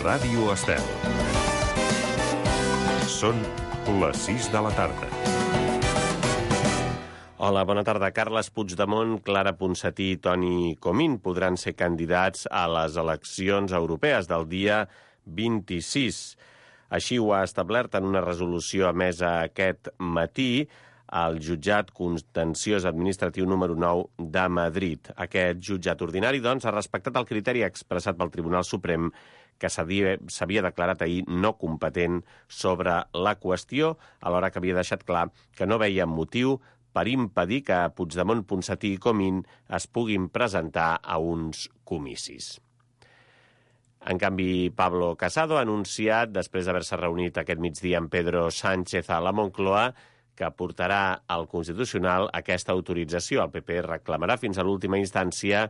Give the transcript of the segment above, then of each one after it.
Ràdio Estel. Són les 6 de la tarda. Hola, bona tarda. Carles Puigdemont, Clara Ponsatí i Toni Comín podran ser candidats a les eleccions europees del dia 26. Així ho ha establert en una resolució emesa aquest matí al jutjat contenciós administratiu número 9 de Madrid. Aquest jutjat ordinari, doncs, ha respectat el criteri expressat pel Tribunal Suprem que s'havia declarat ahir no competent sobre la qüestió, alhora que havia deixat clar que no veia motiu per impedir que Puigdemont, Ponsatí i Comín es puguin presentar a uns comicis. En canvi, Pablo Casado ha anunciat, després d'haver-se reunit aquest migdia amb Pedro Sánchez a la Moncloa, que portarà al Constitucional aquesta autorització. El PP reclamarà fins a l'última instància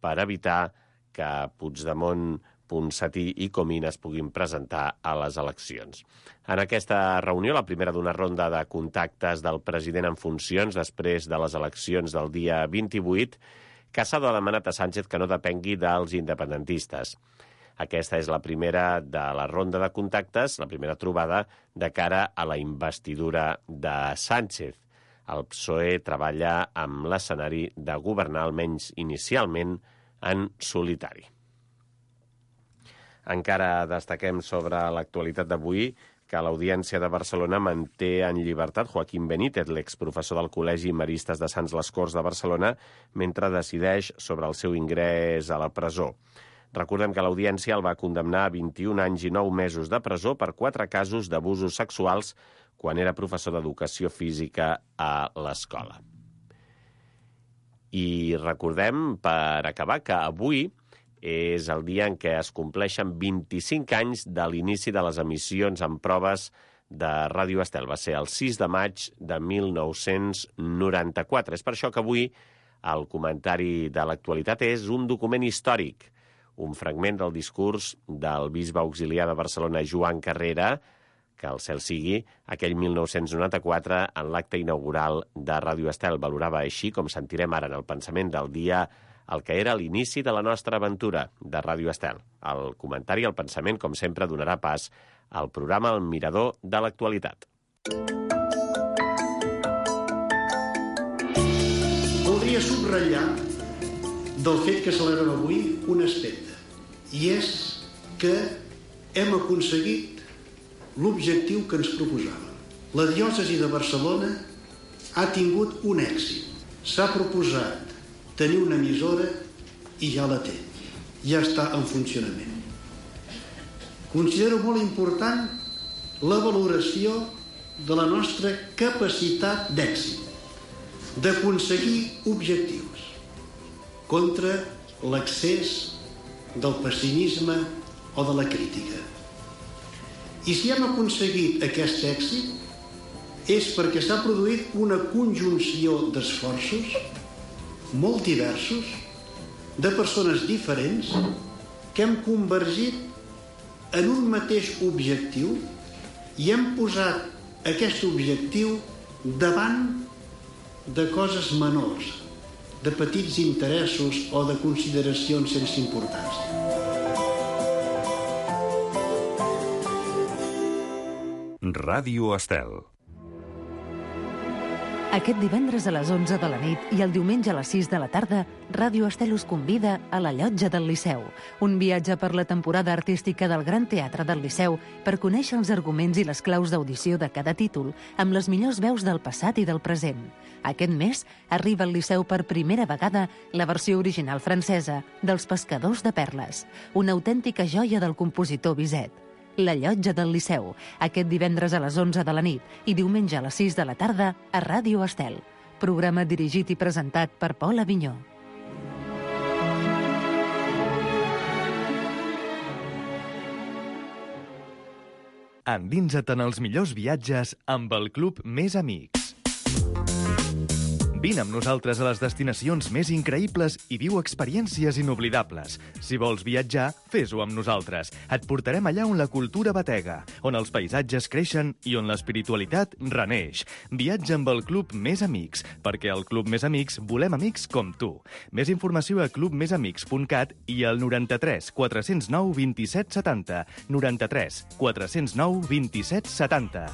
per evitar que Puigdemont, Ponsatí i Comín es puguin presentar a les eleccions. En aquesta reunió, la primera d'una ronda de contactes del president en funcions després de les eleccions del dia 28, Casado ha demanat a Sánchez que no depengui dels independentistes. Aquesta és la primera de la ronda de contactes, la primera trobada de cara a la investidura de Sánchez. El PSOE treballa amb l'escenari de governar, almenys inicialment, en solitari. Encara destaquem sobre l'actualitat d'avui que l'Audiència de Barcelona manté en llibertat Joaquín Benítez, l'exprofessor del Col·legi Maristes de Sants les Corts de Barcelona, mentre decideix sobre el seu ingrés a la presó. Recordem que l'Audiència el va condemnar a 21 anys i 9 mesos de presó per 4 casos d'abusos sexuals quan era professor d'educació física a l'escola. I recordem, per acabar, que avui és el dia en què es compleixen 25 anys de l'inici de les emissions en proves de Ràdio Estel. Va ser el 6 de maig de 1994. És per això que avui el comentari de l'actualitat és un document històric, un fragment del discurs del bisbe auxiliar de Barcelona, Joan Carrera, que el cel sigui, aquell 1994, en l'acte inaugural de Ràdio Estel. Valorava així, com sentirem ara en el pensament del dia, el que era l'inici de la nostra aventura de Ràdio Estel. El comentari, el pensament, com sempre, donarà pas al programa El Mirador de l'actualitat. Voldria subratllar del fet que celebrem avui un aspecte, i és que hem aconseguit l'objectiu que ens proposàvem. La diòcesi de Barcelona ha tingut un èxit. S'ha proposat tenir una emissora i ja la té. Ja està en funcionament. Considero molt important la valoració de la nostra capacitat d'èxit, d'aconseguir objectius contra l'accés del pessimisme o de la crítica. I si hem aconseguit aquest èxit és perquè s'ha produït una conjunció d'esforços molt diversos, de persones diferents, que hem convergit en un mateix objectiu i hem posat aquest objectiu davant de coses menors, de petits interessos o de consideracions sense importància. Ràdio Estel. Aquest divendres a les 11 de la nit i el diumenge a les 6 de la tarda, Ràdio Estel us convida a la Llotja del Liceu, un viatge per la temporada artística del Gran Teatre del Liceu per conèixer els arguments i les claus d'audició de cada títol amb les millors veus del passat i del present. Aquest mes arriba al Liceu per primera vegada la versió original francesa dels Pescadors de Perles, una autèntica joia del compositor Bizet. La Llotja del Liceu, aquest divendres a les 11 de la nit i diumenge a les 6 de la tarda a Ràdio Estel. Programa dirigit i presentat per Pol Avinyó. Endinsa't en els millors viatges amb el Club Més Amics. Vine amb nosaltres a les destinacions més increïbles i viu experiències inoblidables. Si vols viatjar, fes-ho amb nosaltres. Et portarem allà on la cultura batega, on els paisatges creixen i on l'espiritualitat reneix. Viatja amb el Club Més Amics, perquè al Club Més Amics volem amics com tu. Més informació a clubmesamics.cat i al 93 409 27 70. 93 409 27 70.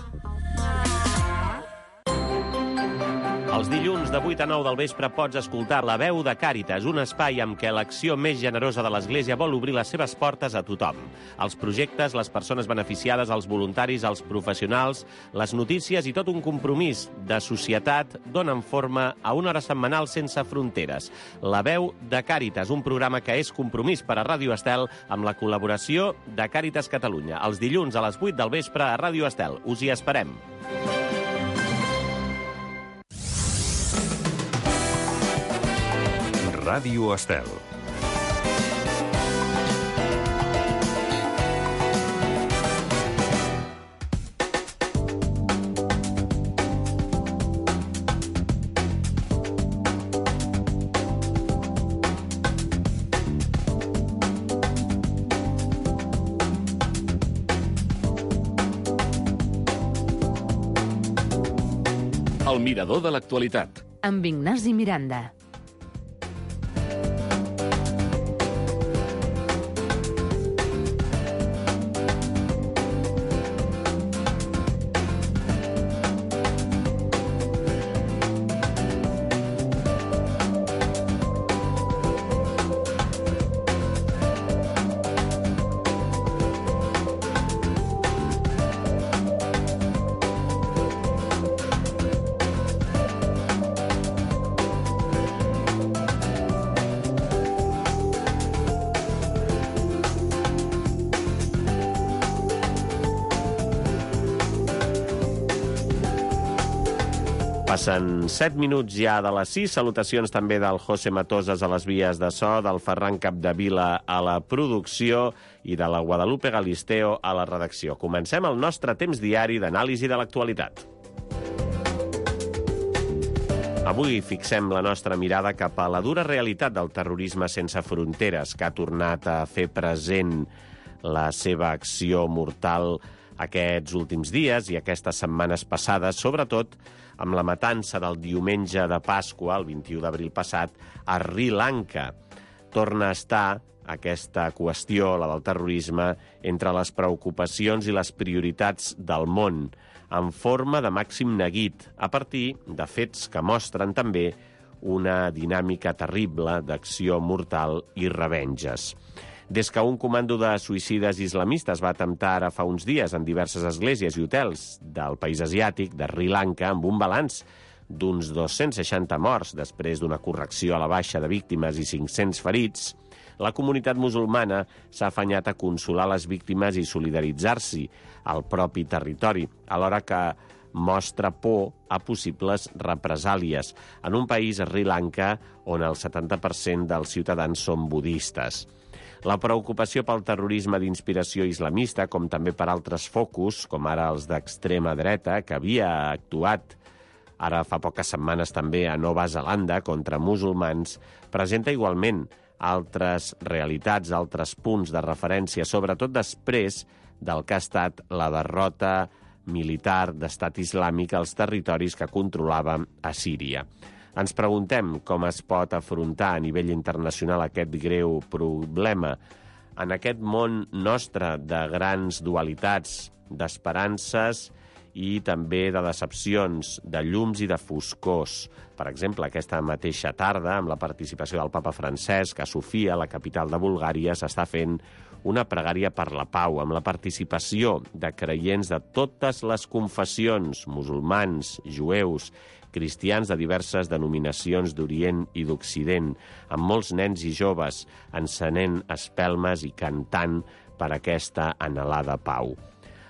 Els dilluns de 8 a 9 del vespre pots escoltar La Veu de Càritas, un espai amb què l'acció més generosa de l'Església vol obrir les seves portes a tothom. Els projectes, les persones beneficiades, els voluntaris, els professionals, les notícies i tot un compromís de societat donen forma a una hora setmanal sense fronteres. La Veu de Càritas, un programa que és compromís per a Ràdio Estel amb la col·laboració de Càritas Catalunya. Els dilluns a les 8 del vespre a Ràdio Estel. Us hi esperem. Ràdio Estel. El mirador de l'actualitat. Amb Ignasi Miranda. Passen 7 minuts ja de les 6. Salutacions també del José Matosas a les vies de so, del Ferran Capdevila a la producció i de la Guadalupe Galisteo a la redacció. Comencem el nostre temps diari d'anàlisi de l'actualitat. Avui fixem la nostra mirada cap a la dura realitat del terrorisme sense fronteres, que ha tornat a fer present la seva acció mortal aquests últims dies i aquestes setmanes passades, sobretot amb la matança del diumenge de Pasqua, el 21 d'abril passat, a Sri Lanka. Torna a estar aquesta qüestió, la del terrorisme, entre les preocupacions i les prioritats del món, en forma de màxim neguit, a partir de fets que mostren també una dinàmica terrible d'acció mortal i revenges. Des que un comando de suïcides islamistes va atemptar ara fa uns dies en diverses esglésies i hotels del país asiàtic, de Sri Lanka, amb un balanç d'uns 260 morts després d'una correcció a la baixa de víctimes i 500 ferits, la comunitat musulmana s'ha afanyat a consolar les víctimes i solidaritzar-s'hi al propi territori, alhora que mostra por a possibles represàlies en un país, Sri Lanka, on el 70% dels ciutadans són budistes. La preocupació pel terrorisme d'inspiració islamista, com també per altres focus, com ara els d'extrema dreta, que havia actuat ara fa poques setmanes també a Nova Zelanda contra musulmans, presenta igualment altres realitats, altres punts de referència, sobretot després del que ha estat la derrota militar d'estat islàmic als territoris que controlava a Síria. Ens preguntem com es pot afrontar a nivell internacional aquest greu problema en aquest món nostre de grans dualitats, d'esperances i també de decepcions, de llums i de foscors. Per exemple, aquesta mateixa tarda, amb la participació del papa Francesc, a Sofia, la capital de Bulgària, s'està fent una pregària per la pau, amb la participació de creients de totes les confessions, musulmans, jueus, cristians de diverses denominacions d'Orient i d'Occident, amb molts nens i joves encenent espelmes i cantant per aquesta anhelada pau.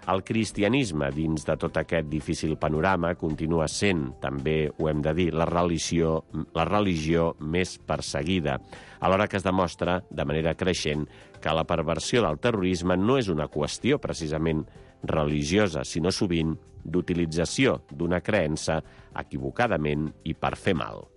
El cristianisme, dins de tot aquest difícil panorama, continua sent, també ho hem de dir, la religió més perseguida, alhora que es demostra, de manera creixent, que la perversió del terrorisme no és una qüestió precisament religiosa, sinó sovint d'utilització d'una creença equivocadament i per fer mal.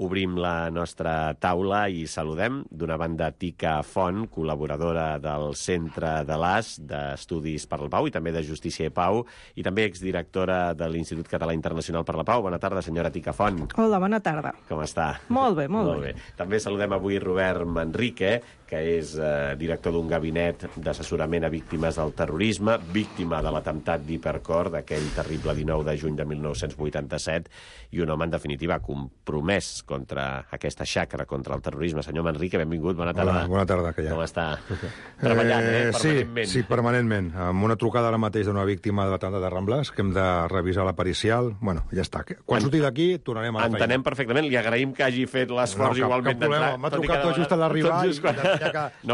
Obrim la nostra taula i saludem d'una banda Tica Font, col·laboradora del Centre de l'AS d'Estudis per la Pau i també de Justícia i Pau, i també exdirectora de l'Institut Català Internacional per la Pau. Bona tarda, senyora Tica Font. Hola, bona tarda. Com està? Molt bé, molt bé. També saludem avui Robert Manrique, que és director d'un gabinet d'assessorament a víctimes del terrorisme, víctima de l'atemptat d'Hipercor d'aquell terrible 19 de juny de 1987, i un home, en definitiva, compromès contra aquesta xacra, contra el terrorisme. Senyor Manrique, benvingut, bona tarda. Hola, bona tarda, que ja. Com està? Treballant, permanentment. Sí, permanentment. Amb una trucada ara mateix d'una víctima de l'atemptat de Ramblàs, que hem de revisar la pericial. Bueno, ja està. Quan surti d'aquí, tornarem a la feina. Entenem perfectament. Li agraïm que hagi fet l'esforç igualment d'entrar. M'ha trucat tot just a l'arribar i no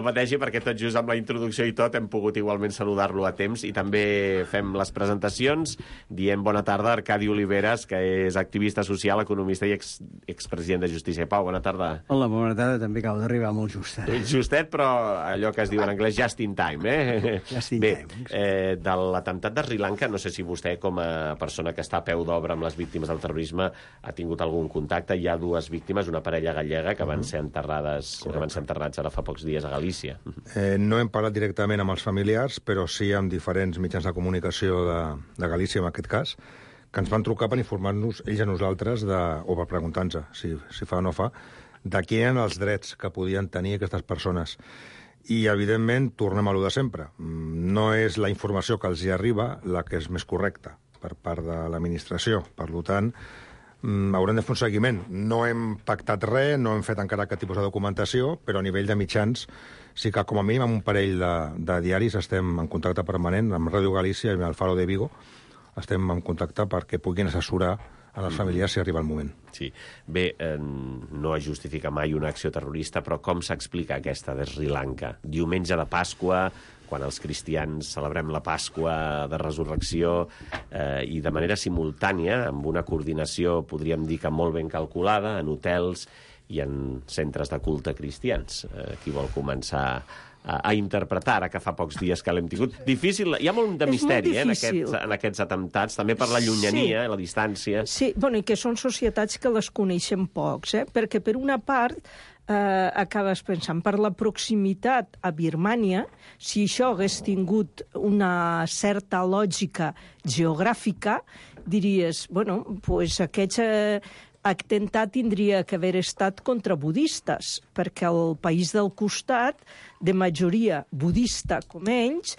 pateixi, perquè tot just amb la introducció i tot hem pogut igualment saludar-lo a temps, i també fem les presentacions. Diem bona tarda a Arcadi Oliveres, que és activista social, economista i expresident de Justícia i Pau. Bona tarda. Hola, bona tarda. També acabo d'arribar molt justet. Justet, però allò que es diu en anglès just in time, eh? Just in time. De l'atemptat de Sri Lanka, no sé si vostè, com a persona que està a peu d'obra amb les víctimes del terrorisme, ha tingut algun contacte. Hi ha dues víctimes, una parella gallega, que van ser enterrades ara fa pocs dies a Galícia. No hem parlat directament amb els familiars, però sí amb diferents mitjans de comunicació de Galícia, en aquest cas, que ens van trucar per informar-nos, ells a nosaltres, o per preguntar-nos si fa o no fa, de quins eren els drets que podien tenir aquestes persones. I, evidentment, tornem a lo de sempre. No és la informació que els hi arriba la que és més correcta per part de l'administració. Per tant, haurem de fer un seguiment. No hem pactat res, no hem fet encara cap tipus de documentació, però a nivell de mitjans sí que, com a mínim, amb un parell de diaris estem en contacte permanent, amb Ràdio Galícia i amb el Faro de Vigo, estem en contacte perquè puguin assessorar a les famílies si arriba el moment. Sí. Bé, no es justifica mai una acció terrorista, però com s'explica aquesta de Sri Lanka? Diumenge de Pasqua, quan els cristians celebrem la Pasqua de Resurrecció, i de manera simultània, amb una coordinació, podríem dir que molt ben calculada, en hotels i en centres de culte cristians. Qui vol començar a interpretar, ara que fa pocs dies que l'hem tingut? Difícil, hi ha molt de misteri en aquests atemptats, també per la llunyania, la distància. Sí, i que són societats que les coneixen pocs, perquè per una part acabes pensant, per la proximitat a Birmània, si això hagués tingut una certa lògica geogràfica, diries, aquest atemptat tindria que haver estat contra budistes, perquè el país del costat, de majoria budista com ells,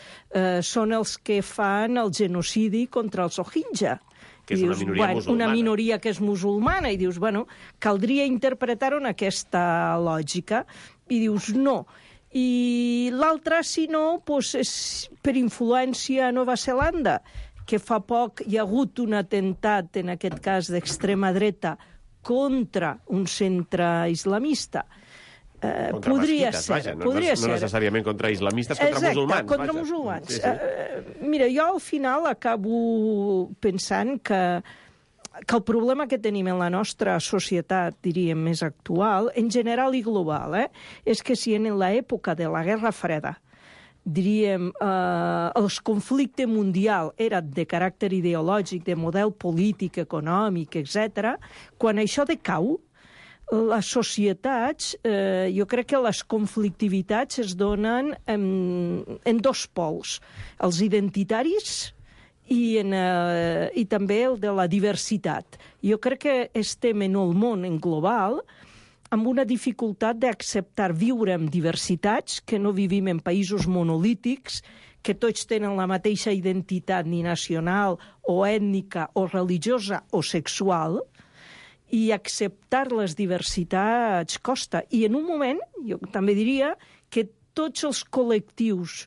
són els que fan el genocidi contra els Rohingya. Que és una minoria musulmana. Una minoria que és musulmana, i dius, caldria interpretar-ho en aquesta lògica, i dius, no. I l'altra, si no, és per influència a Nova Zelanda, que fa poc hi ha hagut un atemptat, en aquest cas d'extrema dreta, contra un centre islamista. Podria ser. No necessàriament contra islamistes, contra musulmans. Contra musulmans. Mira, jo al final acabo pensant que el problema que tenim en la nostra societat, diríem, més actual, en general i global, és que si en l'època de la Guerra Freda, diríem, el conflicte mundial era de caràcter ideològic, de model polític, econòmic, etc., quan això decau, les societats, jo crec que les conflictivitats es donen en dos pols, els identitaris i també el de la diversitat. Jo crec que estem en el món en global amb una dificultat d'acceptar viure amb diversitats, que no vivim en països monolítics, que tots tenen la mateixa identitat ni nacional o ètnica o religiosa o sexual, i acceptar les diversitats costa. I en un moment, jo també diria, que tots els col·lectius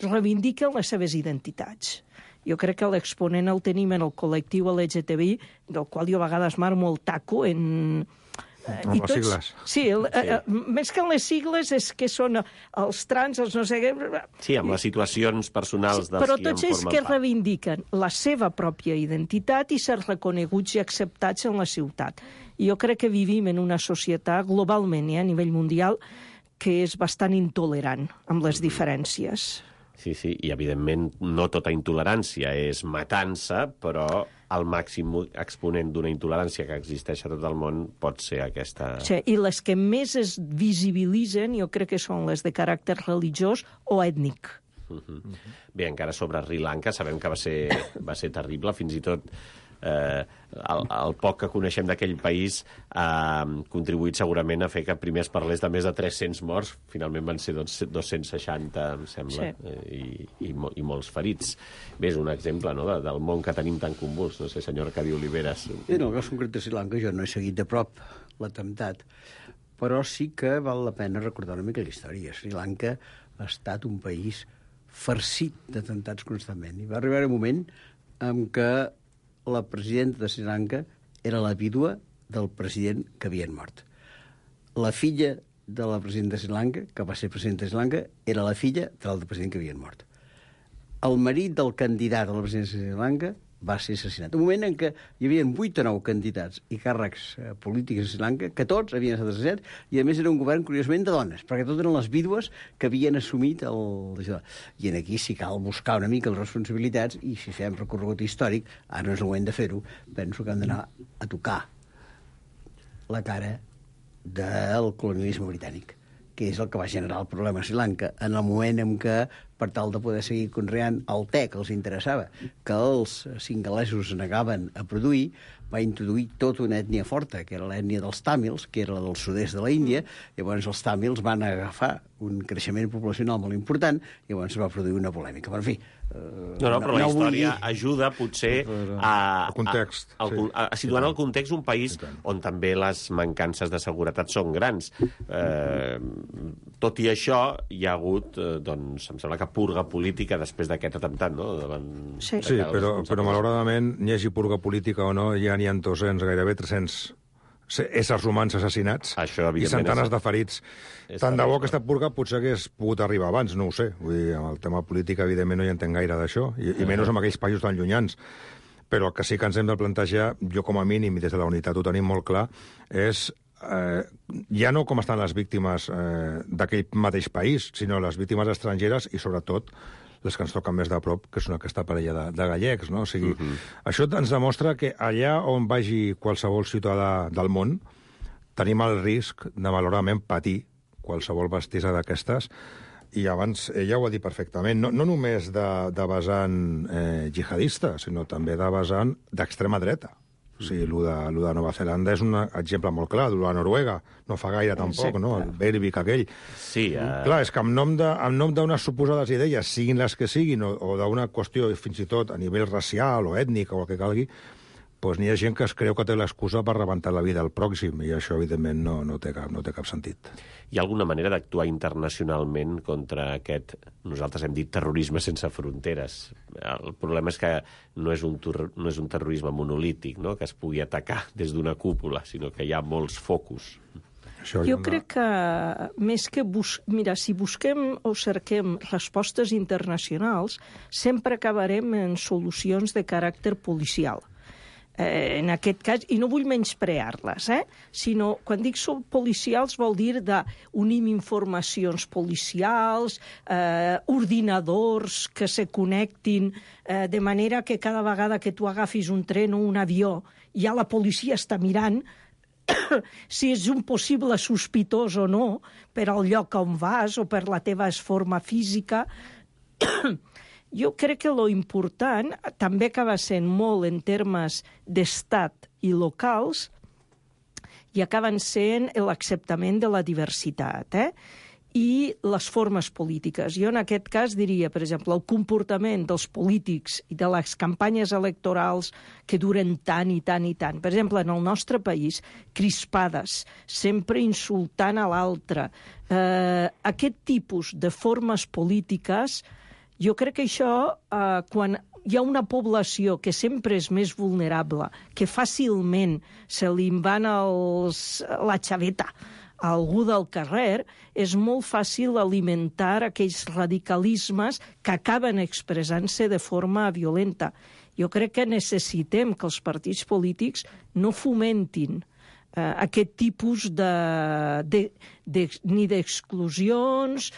reivindiquen les seves identitats. Jo crec que l'exponent el tenim en el col·lectiu LGTBI, del qual jo a vegades marmo el taco en... Amb les sigles. Sí, més que en les sigles és que són els trans, els no sé què... Sí, amb les situacions personals dels qui en formen part. Però tots ells que reivindiquen la seva pròpia identitat i ser reconeguts i acceptats en la ciutat. I jo crec que vivim en una societat globalment, a nivell mundial, que és bastant intolerant amb les diferències. Sí, i evidentment no tota intolerància és matança, però el màxim exponent d'una intolerància que existeix a tot el món pot ser aquesta... Sí, i les que més es visibilitzen jo crec que són les de caràcter religiós o ètnic. Bé, encara sobre Sri Lanka sabem que va ser terrible, fins i tot el poc que coneixem d'aquell país ha contribuït segurament a fer que primer es parlés de més de 300 morts, finalment van ser 260, em sembla, i molts ferits. Bé, és un exemple, no?, del món que tenim tan convuls. No sé, senyor Arcadi Oliveres. En el cas concret de Sri Lanka jo no he seguit de prop l'atemptat, però sí que val la pena recordar una mica la història. Sri Lanka ha estat un país farcit d'atemptats constantment. I va arribar un moment en què la presidenta de Sri Lanka era la vídua del president que havien mort. La filla de la presidenta de Sri Lanka, que va ser presidenta de Sri Lanka, era la filla de l'altre president que havien mort. El marit del candidat a la presidència de Sri Lanka va ser assassinat. Un moment en què hi havia 8 o 9 candidats i càrrecs polítics a Sri Lanka, que tots havien estat assassinats, i a més era un govern, curiosament, de dones, perquè tots eren les vídues que havien assumit això. I aquí sí cal buscar una mica les responsabilitats, i si fem recorregut històric, ara no és el moment de fer-ho, penso que hem d'anar a tocar la cara del colonialisme britànic, que és el que va generar el problema a Sri Lanka, en el moment en què, per tal de poder seguir conreant el te que els interessava, que els singalesos es negaven a produir, va introduir tota una ètnia forta, que era l'ètnia dels tàmils, que era la del sud-est de la Índia. Llavors els tàmils van agafar un creixement poblacional molt important, i llavors es va produir una polèmica. Però, en fi... però la història ajuda, potser, a situar en el context un país on també les mancances de seguretat són grans. Tot i això, hi ha hagut, doncs, em sembla que purga política després d'aquest atemptat, no? Sí, però malauradament, n'hi hagi purga política o no, ja n'hi ha 200, gairebé 300 éssers humans assassinats i centenes de ferits. Tant de bo aquesta purga potser hagués pogut arribar abans, no ho sé. Vull dir, amb el tema polític, evidentment, no hi entenc gaire d'això, i menys amb aquells països tan llunyans. Però el que sí que ens hem de plantejar, jo com a mínim, i des de la unitat ho tenim molt clar, és ja no com estan les víctimes d'aquell mateix país, sinó les víctimes estrangeres i, sobretot, les que ens toquen més de prop, que són aquesta parella de gallecs, no? O sigui, això ens demostra que allà on vagi qualsevol ciutadà del món, tenim el risc de, malauradament, patir qualsevol bestiesa d'aquestes, i abans ella ho ha dit perfectament, no només de vessant jihadista, sinó també de vessant d'extrema dreta. O sigui, el de Nova Zelanda és un exemple molt clar, el de Noruega, no fa gaire tampoc, no? El Breivik aquell. Sí. Clar, és que en nom d'unes suposades idees, siguin les que siguin, o d'una qüestió fins i tot a nivell racial o ètnic o el que calgui, doncs n'hi ha gent que es creu que té l'excusa per rebentar la vida al pròxim, i això, evidentment, no té cap sentit. Hi ha alguna manera d'actuar internacionalment contra aquest, nosaltres hem dit, terrorisme sense fronteres? El problema és que no és un terrorisme monolític, no?, que es pugui atacar des d'una cúpula, sinó que hi ha molts focus. Jo crec que més que... Mira, si busquem o cerquem respostes internacionals, sempre acabarem en solucions de caràcter policial. En aquest cas, i no vull menysprear-les, sinó, quan dic policials vol dir d'unim informacions policials, ordinadors que se connectin, de manera que cada vegada que tu agafis un tren o un avió, ja la policia està mirant si és un possible sospitós o no per al lloc on vas o per la teva forma física. Jo crec que lo important també acaba sent molt en termes d'estat i locals, i acaben sent l'acceptament de la diversitat, i les formes polítiques. Jo en aquest cas diria, per exemple, el comportament dels polítics i de les campanyes electorals que duren tant i tant i tant. Per exemple, en el nostre país, crispades, sempre insultant a l'altre. Aquest tipus de formes polítiques, jo crec que això, quan hi ha una població que sempre és més vulnerable, que fàcilment se li van la xaveta a algú del carrer, és molt fàcil alimentar aquells radicalismes que acaben expressant-se de forma violenta. Jo crec que necessitem que els partits polítics no fomentin aquest tipus ni d'exclusions,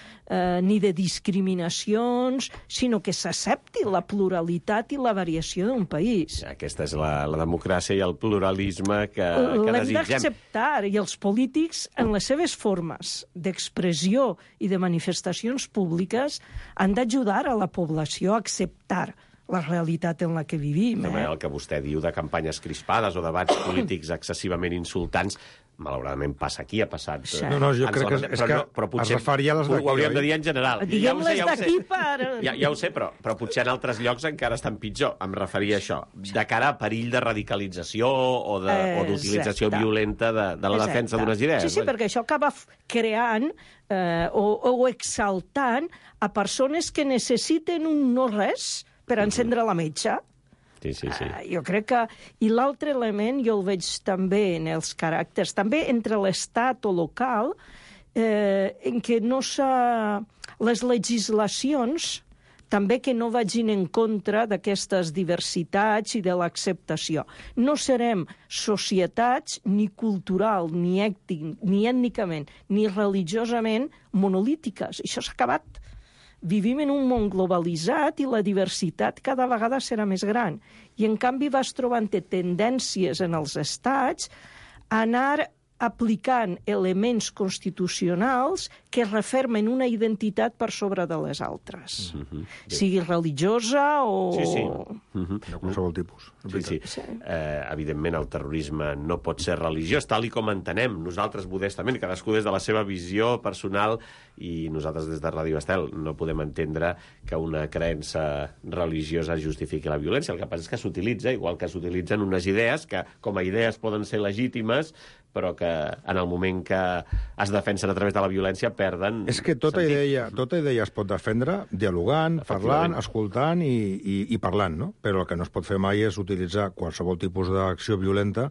ni de discriminacions, sinó que s'accepti la pluralitat i la variació d'un país. Aquesta és la democràcia i el pluralisme que L'hem desitgem. d'acceptar, i els polítics, en les seves formes d'expressió i de manifestacions públiques, han d'ajudar a la població a acceptar la realitat en la que vivim. El que vostè diu de campanyes crispades o debats polítics excessivament insultants, malauradament passa aquí, ha passat... Sí. No, jo crec que és que es referia a les d'aquí, ho hauríem de dir en general. Diguem les d'aquí per... Ja ho sé, però potser en altres llocs encara estan pitjor. Em referia a això, de cara a perill de radicalització o d'utilització violenta de la defensa d'unes idees. Sí, perquè això acaba creant o exaltant a persones que necessiten un no-res per encendre la metxa. Sí. Jo crec que... I l'altre element jo el veig també en els caràcters, també entre l'estat o local, en què no les legislacions també que no vagin en contra d'aquestes diversitats i de l'acceptació. No serem societats ni cultural, ni ètnicament, ni religiosament monolítiques. Això s'ha acabat. Vivim en un món globalitzat i la diversitat cada vegada serà més gran. I, en canvi, vas trobant tendències en els estats a anar aplicant elements constitucionals que refermen una identitat per sobre de les altres. Sigui religiosa o... Sí. De qualsevol tipus. Sí. Evidentment, el terrorisme no pot ser religiós, tal i com entenem nosaltres modestament, cadascú des de la seva visió personal, i nosaltres des de Ràdio Estel no podem entendre que una creença religiosa justifiqui la violència. El que passa és que s'utilitza, igual que s'utilitzen unes idees que com a idees poden ser legítimes, però que en el moment que es defensen a través de la violència perden... És que tota idea es pot defendre dialogant, parlant, escoltant i parlant, no? Però el que no es pot fer mai és utilitzar qualsevol tipus d'acció violenta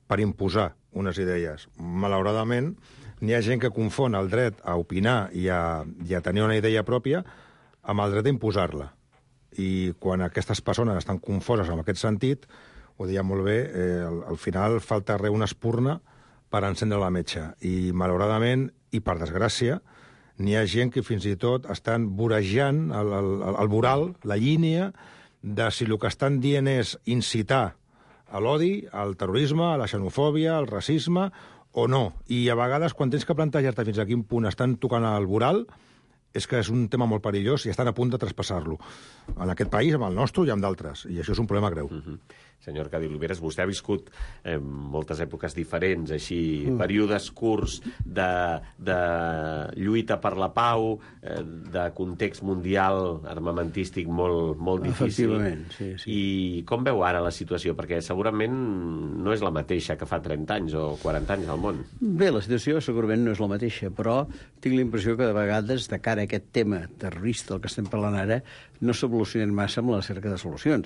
per imposar unes idees. Malauradament, n'hi ha gent que confon el dret a opinar i a tenir una idea pròpia amb el dret a imposar-la. I quan aquestes persones estan confoses en aquest sentit, ho deia molt bé, al final falta una espurna per encendre la metxa. I, malauradament, i per desgràcia, n'hi ha gent que fins i tot estan vorejant el voral, la línia, de si el que estan dient és incitar a l'odi, al terrorisme, a la xenofòbia, al racisme, o no. I a vegades, quan tens que plantejar-te fins a quin punt estan tocant el voral, és que és un tema molt perillós i estan a punt de traspassar-lo. En aquest país, amb el nostre i amb d'altres. I això és un problema greu. Senyor Cadí Oliveres, vostè ha viscut moltes èpoques diferents, així, períodes curts de lluita per la pau, de context mundial armamentístic molt difícil. Efectivament, sí. I com veu ara la situació? Perquè segurament no és la mateixa que fa 30 anys o 40 anys al món. Bé, la situació segurament no és la mateixa, però tinc la impressió que de vegades, de cara a aquest tema terrorista del que estem parlant ara, no s'evolucionen massa amb la cerca de solucions.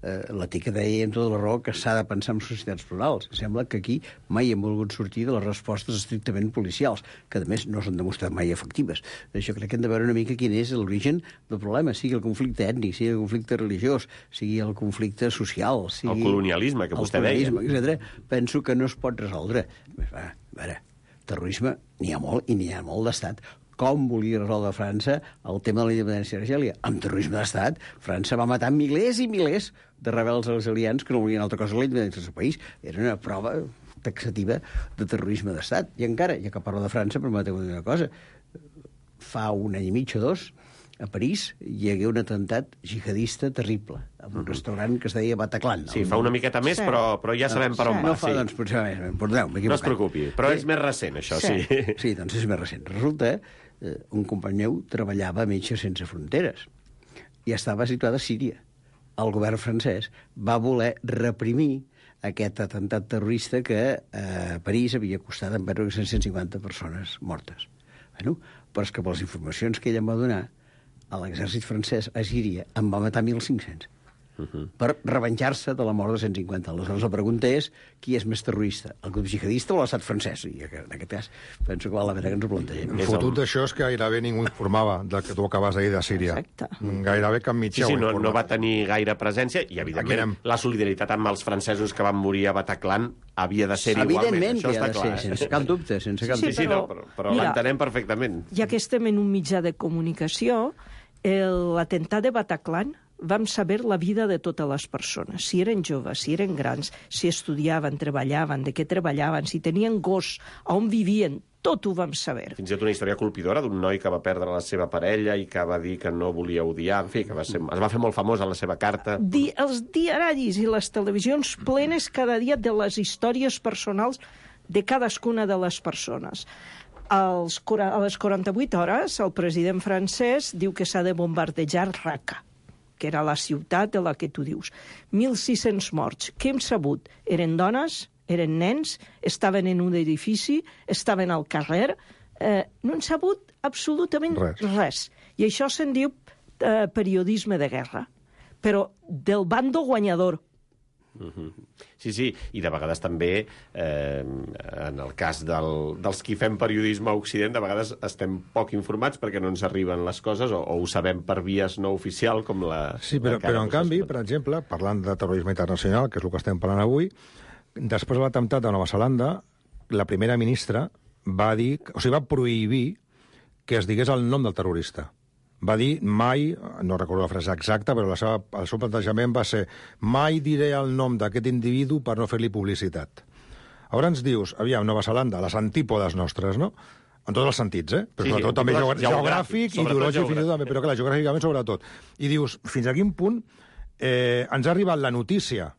La Tica deia amb tota la raó que s'ha de pensar en societats plurals. Sembla que aquí mai hem volgut sortir de les respostes estrictament policials, que a més no s'han demostrat mai efectives. Jo crec que hem de veure una mica quin és l'origen del problema, sigui el conflicte ètnic, sigui el conflicte religiós, sigui el conflicte social, sigui... El colonialisme, que vostè deia. Etc. Penso que no es pot resoldre. A veure, terrorisme n'hi ha molt i n'hi ha molt d'estat. Com volia resoldre França el tema de la independència d'Argèlia? Amb terrorisme d'estat, França va matar milers i milers de rebels argelians que no volien altra cosa que la independència del seu país. Era una prova taxativa de terrorisme d'estat. I encara, ja que parlo de França, permeteu-me dir una cosa. Fa un any i mig o dos, a París, hi hagué un atemptat jihadista terrible, en un restaurant que es deia Bataclan. Sí, fa una miqueta més, però ja sabem per on va. No fa, doncs, potser més, perdoneu, m'he equivocat. No es preocupi, però és més recent, això, sí. Sí, doncs és més recent. Resulta un company meu treballava a Metges Sense Fronteres i estava situat a Síria. El govern francès va voler reprimir aquest atemptat terrorista que a París havia costat en 150 persones mortes. Bueno, però és que per les informacions que ell em va donar, l'exèrcit francès a Síria en va matar 1.500. per revenjar-se de la mort de 150. Aleshores, la pregunta és qui és més terrorista, el grup jihadista o l'estat francès? I en aquest cas penso que val la pena que ens ho plantegem. El fotut d'això és que gairebé ningú informava del que tu acabes de dir de Síria. Exacte. Gairebé cap mitjà ho no va tenir gaire presència i, evidentment, la solidaritat amb els francesos que van morir a Bataclan havia de ser igualment. Evidentment que ha de ser, sense cap dubte. Sí, però l'entenem perfectament. Ja que estem en un mitjà de comunicació, l'atemptat de Bataclan vam saber la vida de totes les persones, si eren joves, si eren grans, si estudiaven, treballaven, de què treballaven, si tenien gos, on vivien, tot ho vam saber. Fins i tot una història colpidora d'un noi que va perdre la seva parella i que va dir que no volia odiar, en fi, que es va fer molt famosa la seva carta. Els diaris i les televisions plenes cada dia de les històries personals de cadascuna de les persones. A les 48 hores, el president francès diu que s'ha de bombardejar Raqqa, que era la ciutat de la que tu dius. 1.600 morts. Què hem sabut? Eren dones, eren nens, estaven en un edifici, estaven al carrer. No hem sabut absolutament res. I això se'n diu periodisme de guerra. Però del bando guanyador. Sí, i de vegades també, en el cas dels qui fem periodisme a Occident, de vegades estem poc informats perquè no ens arriben les coses o ho sabem per vies no oficial, com la... Sí, però en canvi, per exemple, parlant de terrorisme internacional, que és el que estem parlant avui, després de l'atemptat de Nova Zelanda, la primera ministra va dir, va prohibir que es digués el nom del terrorista. Va dir mai, no recordo la frase exacta, però el seu plantejament va ser mai diré el nom d'aquest individu per no fer-li publicitat. Ara ens dius, aviam, Nova Zelanda, les antípodes nostres, no? En tots els sentits, però sobretot també geogràfic, ideològic, fins i tot també, però clar, geogràficament sobretot. I dius, fins a quin punt ens ha arribat la notícia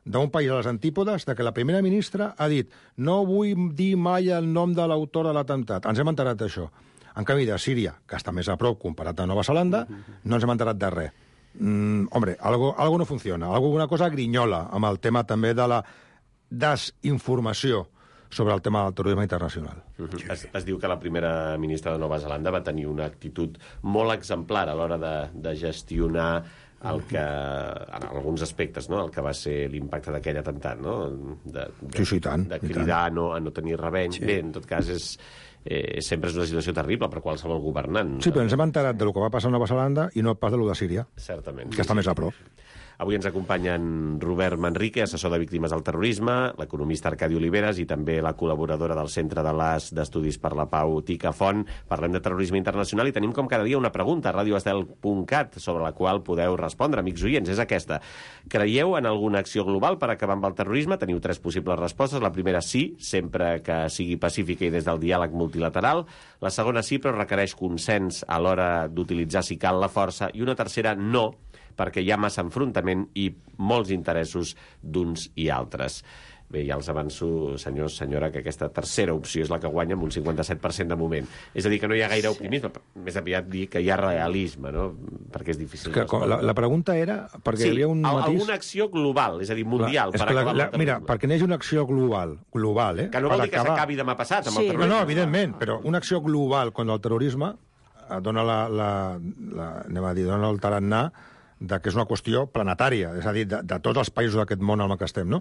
d'un país a les antípodes de que la primera ministra ha dit no vull dir mai el nom de l'autor de l'atemptat. Ens hem enterat d'això. En canvi, de Síria, que està més a prop comparat a Nova Zelanda, no ens hem enterat de res. Hombre, algo no funciona. Alguna cosa grinyola amb el tema també de la desinformació sobre el tema del terrorisme internacional. Es diu que la primera ministra de Nova Zelanda va tenir una actitud molt exemplar a l'hora de gestionar el que, en alguns aspectes, no? El que va ser l'impacte d'aquell atemptat, no? De cridar a no tenir reveny. Bé, en tot cas, sempre és una situació terrible per qualsevol governant. Sí, però ens hem enterat de lo que va passar a Nova Zelanda i no pas de lo de Síria. Certament. Que està més a prop. Avui ens acompanyen Robert Manrique, assessor de víctimes del terrorisme, l'economista Arcadi Oliveres i també la col·laboradora del Centre de l'AS d'Estudis per la Pau, Tica Font. Parlem de terrorisme internacional i tenim com cada dia una pregunta a radioestel.cat sobre la qual podeu respondre, amics oients. És aquesta. Creieu en alguna acció global per acabar amb el terrorisme? Teniu 3 possibles respostes. La primera, sí, sempre que sigui pacífica i des del diàleg multilateral. La segona, sí, però requereix consens a l'hora d'utilitzar, si cal, la força. I una tercera, no, perquè hi ha massa enfrontament i molts interessos d'uns i altres. Bé, ja els avanço, senyors, senyora, que aquesta tercera opció és la que guanya amb un 57% de moment. És a dir, que no hi ha gaire optimisme, més aviat dir que hi ha realisme, no? Perquè és difícil. La pregunta era... Perquè hi havia un matís... alguna acció global, és a dir, mundial, per acabar amb el terrorisme. Mira, perquè n'hi hagi una acció global, que no vol dir que s'acabi demà passat amb el terrorisme. No, evidentment, però una acció global contra el terrorisme dona dona el tarannà que és una qüestió planetària, és a dir, de tots els països d'aquest món en el que estem, no?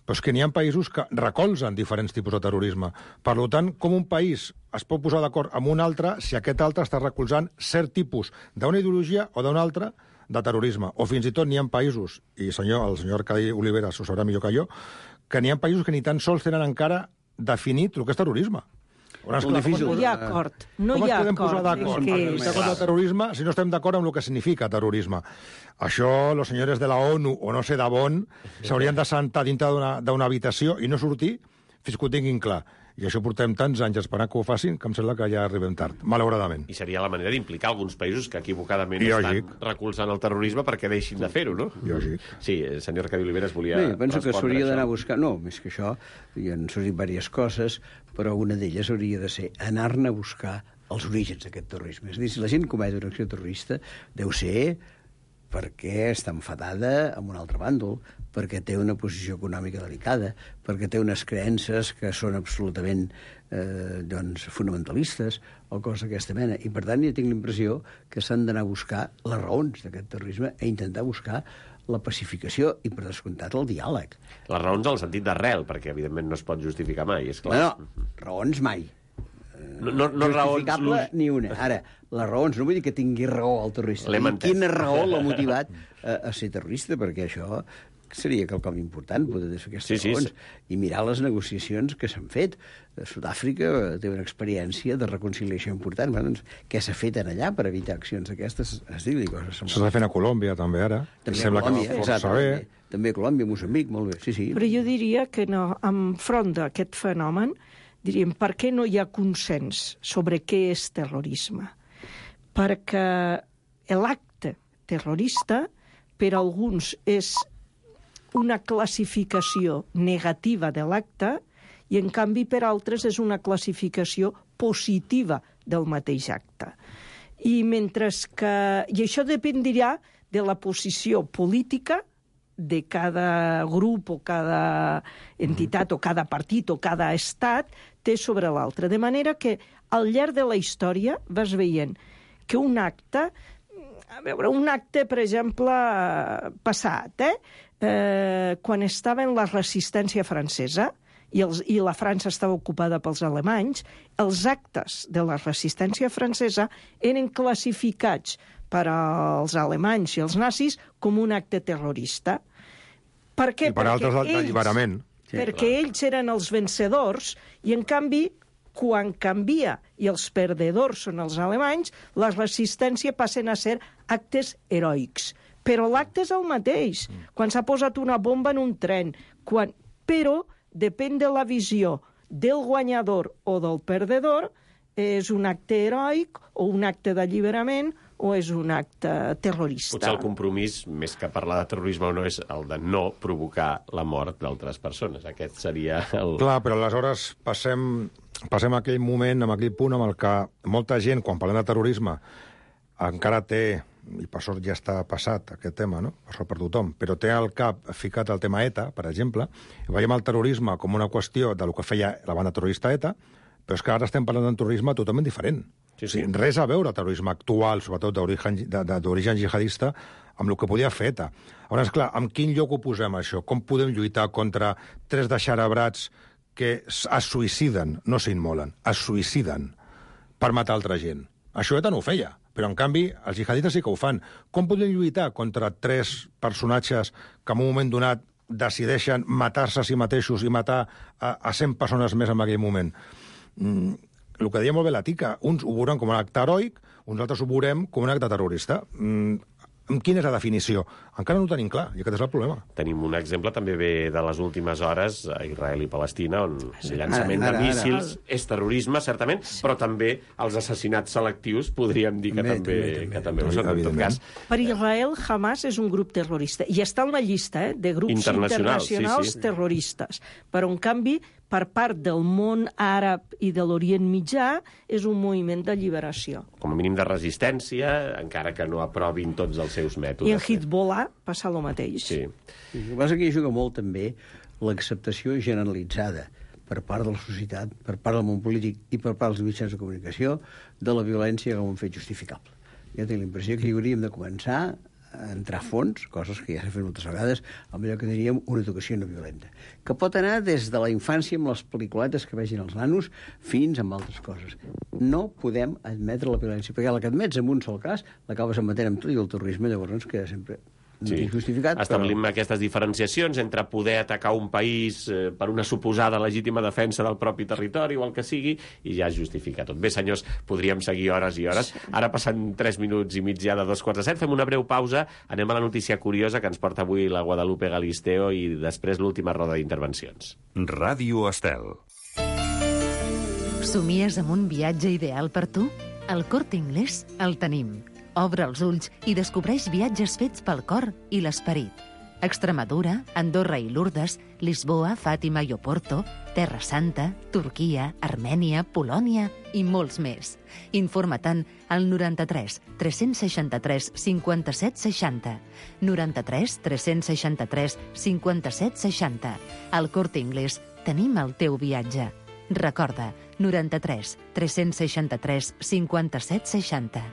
Però és que n'hi ha països que recolzen diferents tipus de terrorisme. Per tant, com un país es pot posar d'acord amb un altre si aquest altre està recolzant cert tipus d'una ideologia o d'una altra de terrorisme. O fins i tot n'hi ha països, i el senyor Arcadi Oliveres ho sabrà millor que jo, que n'hi ha països que ni tan sols tenen encara definit el que és terrorisme. No hi ha acord. Com ens podem posar d'acord contra el terrorisme si no estem d'acord amb el que significa terrorisme? Això, els senyors de la ONU, o no sé d'on, s'haurien de sentar dintre d'una habitació i no sortir fins que ho tinguin clar. I això portem tants anys esperant que ho facin que em sembla que ja arribem tard, malauradament. I seria la manera d'implicar alguns països que equivocadament estan recolzant el terrorisme perquè deixin de fer-ho, no? Lògic. Sí, el senyor Arcadi Oliveres volia respondre. Penso que s'hauria d'anar a buscar... No, més que això, hi han sortit diverses coses, però una d'elles hauria de ser anar-ne a buscar els orígens d'aquest terrorisme. És a dir, si la gent comet una acció terrorista, deu ser perquè està enfadada amb un altre bàndol, perquè té una posició econòmica delicada, perquè té unes creences que són absolutament fonamentalistes o coses d'aquesta mena. I, per tant, jo tinc la impressió que s'han d'anar a buscar les raons d'aquest terrorisme i intentar buscar la pacificació i, per descomptat, el diàleg. Les raons en el sentit d'arrel, perquè, evidentment, no es pot justificar mai, és clar. Bueno, raons mai. No justificable raons... ni una. Ara, les raons, no vull dir que tingui raó el terrorista. Quina raó l'ha motivat a ser terrorista, perquè això seria quelcom important, poder fer aquestes raons. I mirar les negociacions que s'han fet. Sud-àfrica té una experiència de reconciliació important. Bueno, doncs, què s'ha fet allà per evitar accions d'aquestes? S'està fent a Colòmbia, també, ara. També a Colòmbia, exacte. També a Colòmbia, Moçambic, molt bé. Sí. Però jo diria que no, enfront d'aquest fenomen, diríem, per què no hi ha consens sobre què és terrorisme? Perquè l'acte terrorista, per alguns, és una classificació negativa de l'acte i, en canvi, per altres és una classificació positiva del mateix acte. I mentre que... I això dependrà de la posició política de cada grup o cada entitat o cada partit o cada estat té sobre l'altre. De manera que al llarg de la història vas veient que un acte, per exemple, passat, quan estava en la resistència francesa i la França estava ocupada pels alemanys, els actes de la resistència francesa eren classificats per als alemanys i els nazis com un acte terrorista. Per què? I per altres d'alliberament. Perquè ells eren els vencedors i, en canvi, quan canvia i els perdedors són els alemanys, la resistència passen a ser actes heroics. Però l'acte és el mateix. Quan s'ha posat una bomba en un tren, però depèn de la visió del guanyador o del perdedor, és un acte heroic o un acte d'alliberament o és un acte terrorista. Potser el compromís, més que parlar de terrorisme o no, és el de no provocar la mort d'altres persones. Aquest seria el... Clar, però aleshores passem a aquell moment, a aquell punt amb el que molta gent, quan parlem de terrorisme, encara té, i per sort ja està passat aquest tema, no? Per sort per tothom, però té al cap ficat el tema ETA, per exemple, i veiem el terrorisme com una qüestió de lo que feia la banda terrorista ETA, però és que ara estem parlant d'un terrorisme totalment diferent. Sí. O sigui, res a veure el terrorisme actual, sobretot d'origen jihadista, amb el que podia fer ETA. Llavors, clar, amb quin lloc ho posem, això? Com podem lluitar contra 3 deixarabrats que es suïciden, no s'immolen, es suïciden per matar altra gent? Això ETA no ho feia, però en canvi els jihadistes sí que ho fan. Com podem lluitar contra 3 personatges que en un moment donat decideixen matar-se a si mateixos i matar a 100 persones més en aquell moment? El que deia molt bé la Tica, uns ho veuran com un acte heroic, uns altres ho veurem com un acte terrorista. Quina és la definició? Encara no ho tenim clar, i aquest és el problema. Tenim un exemple també ve de les últimes hores a Israel i Palestina, on el llançament de míssils és terrorisme, certament, però també els assassinats selectius podríem dir que també ho són, en tot cas. Per Israel, Hamas és un grup terrorista, i està en la llista de grups internacionals terroristes. Però, en canvi, per part del món àrab i de l'Orient Mitjà, és un moviment d'alliberació. Com a mínim de resistència, encara que no aprovin tots els seus mètodes. I en Hezbollah passa el mateix. Sí. El que passa que hi juga molt també l'acceptació generalitzada per part de la societat, per part del món polític i per part dels mitjans de comunicació de la violència com un fet justificable. Jo tinc la impressió que hi hauríem de començar a entrar a fons, coses que ja s'han fet moltes vegades, amb allò que diríem una educació no violenta, que pot anar des de la infància amb les pel·lículetes que vegin els nanos fins amb altres coses. No podem admetre la violència, perquè la que admets en un sol cas l'acabes admetent amb tot i el terrorisme, llavors queda sempre justificat. Establim aquestes diferenciacions entre poder atacar un país per una suposada legítima defensa del propi territori o el que sigui, i ja es justifica tot. Bé, senyors, podríem seguir hores i hores. Ara passen 3 minuts i mig ja de 2:45. Fem una breu pausa, anem a la notícia curiosa que ens porta avui la Guadalupe Galisteo i després l'última roda d'intervencions. Ràdio Estel. Somies amb un viatge ideal per tu? Al Corte Inglés el tenim. Obre els ulls i descobreix viatges fets pel cor i l'esperit. Extremadura, Andorra i Lourdes, Lisboa, Fàtima i Oporto, Terra Santa, Turquia, Armènia, Polònia i molts més. Informa-te'n al 93 363 57 60. 93 363 57 60. Al Corte Inglés tenim el teu viatge. Recorda, 93 363 57 60.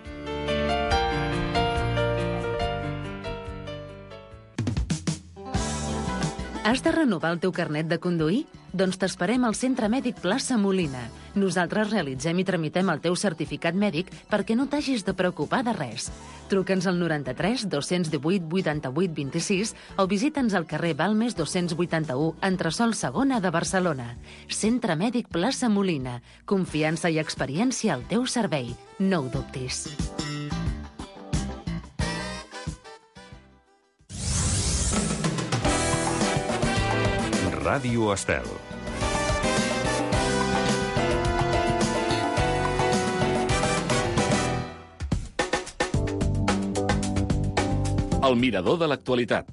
Has de renovar el teu carnet de conduir? Doncs t'esperem al Centre Mèdic Plaça Molina. Nosaltres realitzem i tramitem el teu certificat mèdic perquè no t'hagis de preocupar de res. Truca'ns al 93 218 88 26 o visita'ns al carrer Balmes 281, entresòl segona de Barcelona. Centre Mèdic Plaça Molina. Confiança i experiència al teu servei. No ho dubtis. Ràdio Estel. El mirador de l'actualitat.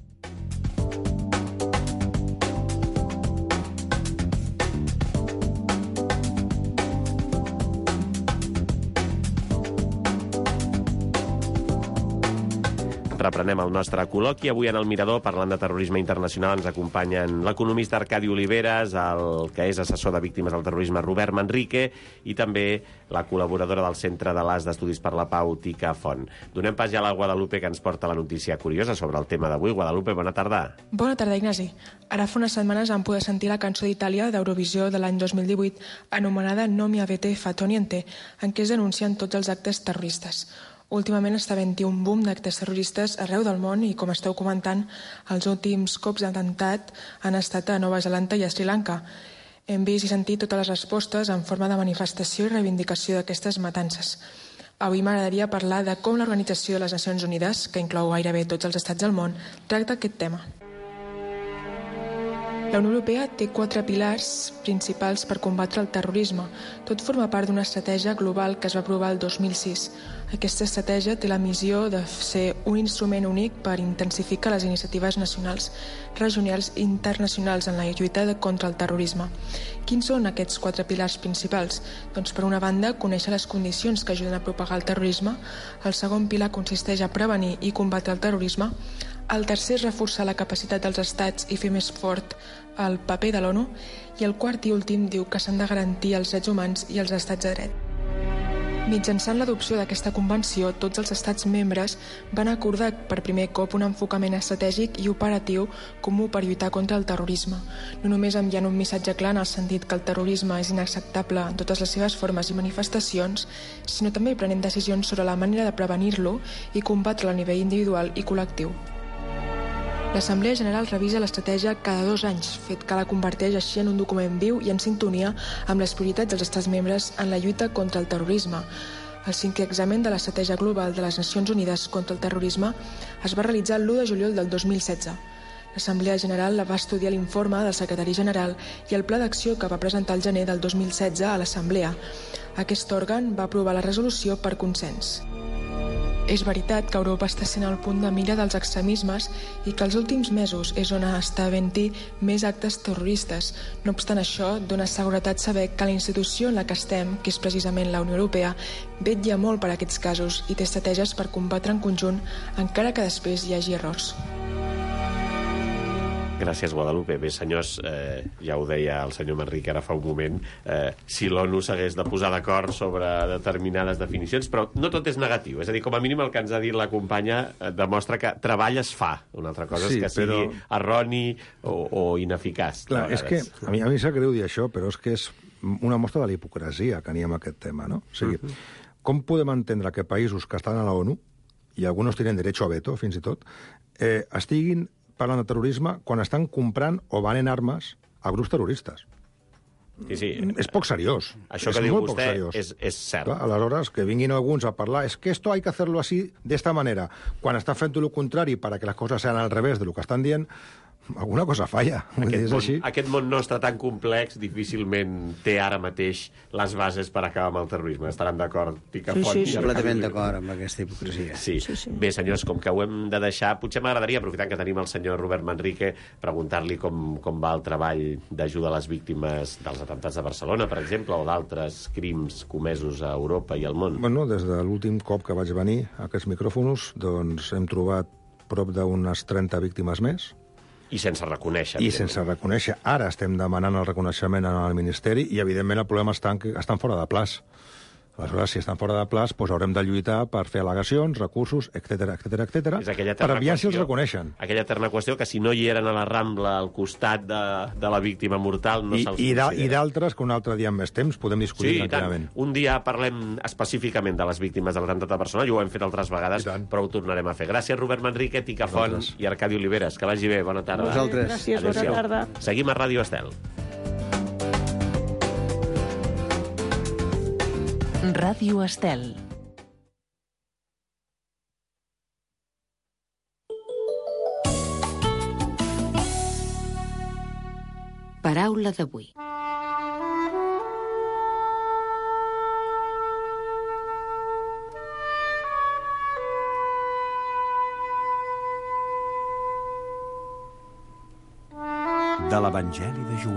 Reprenem el nostre col·loqui. Avui en el Mirador, parlant de terrorisme internacional, ens acompanyen l'economista Arcadi Oliveres, el que és assessor de víctimes del terrorisme Robert Manrique i també la col·laboradora del Centre de l'As d'Estudis per la Pau, Tica Font. Donem pas ja a la Guadalupe, que ens porta la notícia curiosa sobre el tema d'avui. Guadalupe, bona tarda. Bona tarda, Ignasi. Ara fa unes setmanes vam poder sentir la cançó d'Itàlia d'Eurovisió de l'any 2018, anomenada No mi avete fatto niente, en què es denuncien tots els actes terroristes. Últimament està havent-hi un boom d'actes terroristes arreu del món i, com esteu comentant, els últims cops d'atemptat han estat a Nova Zelanda i a Sri Lanka. Hem vist i sentit totes les respostes en forma de manifestació i reivindicació d'aquestes matances. Avui m'agradaria parlar de com l'Organització de les Nacions Unides, que inclou gairebé tots els estats del món, tracta aquest tema. La Unió Europea té 4 pilars principals per combatre el terrorisme. Tot forma part d'una estratègia global que es va aprovar el 2006. Aquesta estratègia té la missió de ser un instrument únic per intensificar les iniciatives nacionals, regionals i internacionals en la lluita contra el terrorisme. Quins són aquests 4 pilars principals? Doncs, per una banda, conèixer les condicions que ajuden a propagar el terrorisme. El segon pilar consisteix a prevenir i combatre el terrorisme. El tercer és reforçar la capacitat dels estats i fer més fort el paper de l'ONU. I el quart i últim diu que s'han de garantir els drets humans i els estats de dret. Mitjançant l'adopció d'aquesta convenció, tots els estats membres van acordar per primer cop un enfocament estratègic i operatiu comú per lluitar contra el terrorisme. No només enviant un missatge clar en el sentit que el terrorisme és inacceptable en totes les seves formes i manifestacions, sinó també prenent decisions sobre la manera de prevenir-lo i combatre'l a nivell individual i col·lectiu. L'Assemblea General revisa l'estratègia cada 2 anys, fet que la converteix així en un document viu i en sintonia amb les prioritats dels estats membres en la lluita contra el terrorisme. El 5è examen de l'Estratègia Global de les Nacions Unides contra el Terrorisme es va realitzar l'1 de juliol del 2016. L'Assemblea General va estudiar l'informe del secretari general i el pla d'acció que va presentar el gener del 2016 a l'Assemblea. Aquest òrgan va aprovar la resolució per consens. És veritat que Europa està sent el punt de mira dels extremismes i que els últims mesos és on està havent-hi més actes terroristes. No obstant això, dona seguretat saber que la institució en la que estem, que és precisament la Unió Europea, vetlla molt per aquests casos i té estratègies per combatre en conjunt, encara que després hi hagi errors. Gràcies, Guadalupe. Bé, senyors, ja ho deia el senyor Manrique ara fa un moment, si l'ONU s'hagués de posar d'acord sobre determinades definicions, però no tot és negatiu. És a dir, com a mínim el que ens ha dit la companya demostra que treball es fa. Una altra cosa és que sigui erroni o ineficaç. Clar, és que a mi sap greu dir això, però és que és una mostra de la hipocresia que n'hi ha amb aquest tema, no? O sigui, com podem entendre que països que estan a la ONU, i alguns tenen derecho a veto, fins i tot, estiguin parlant de terrorisme quan estan comprant o venent armes a grups terroristes. Sí. És poc seriós. Això que diu vostè és cert. Clar, aleshores, que vinguin alguns a parlar es que esto hay que hacerlo así, de esta manera, quan estan fent lo contrari para que les coses sean al revés de lo que estan dient, alguna cosa falla. Aquest món nostre tan complex difícilment té ara mateix les bases per acabar amb el terrorisme. Estaran d'acord, Tica Font? Sí, completament d'acord amb aquesta hipocresia. Sí. Bé, senyors, com que ho hem de deixar, potser m'agradaria, aprofitant que tenim el senyor Robert Manrique, preguntar-li com va el treball d'ajuda a les víctimes dels atemptats de Barcelona, per exemple, o d'altres crims comesos a Europa i al món. Bueno, des de l'últim cop que vaig venir a aquests micròfons, doncs hem trobat prop d'unes 30 víctimes més. I sense reconèixer. I sense reconèixer. Ara estem demanant el reconeixement al Ministeri i, evidentment, el problema està que estan fora de plaç. Aleshores, si estan fora de plaç, doncs haurem de lluitar per fer al·legacions, recursos, etc per aviar si els reconeixen. Aquella eterna qüestió que si no hi eren a la Rambla al costat de la víctima mortal no se'ls I considera. d'altres que un altre dia amb més temps podem discutir tranquil·lament. Un dia parlem específicament de les víctimes de l'atemptat a Barcelona, i ho hem fet altres vegades, però ho tornarem a fer. Gràcies, Robert Manrique, Tica Font i Arcadi Oliveres. Que vagi bé, bona tarda. Vosaltres. Gràcies, bona tarda. Seguim a Ràdio Estel. Ràdio Estel. Paraula d'avui. De l'Evangeli de Joan.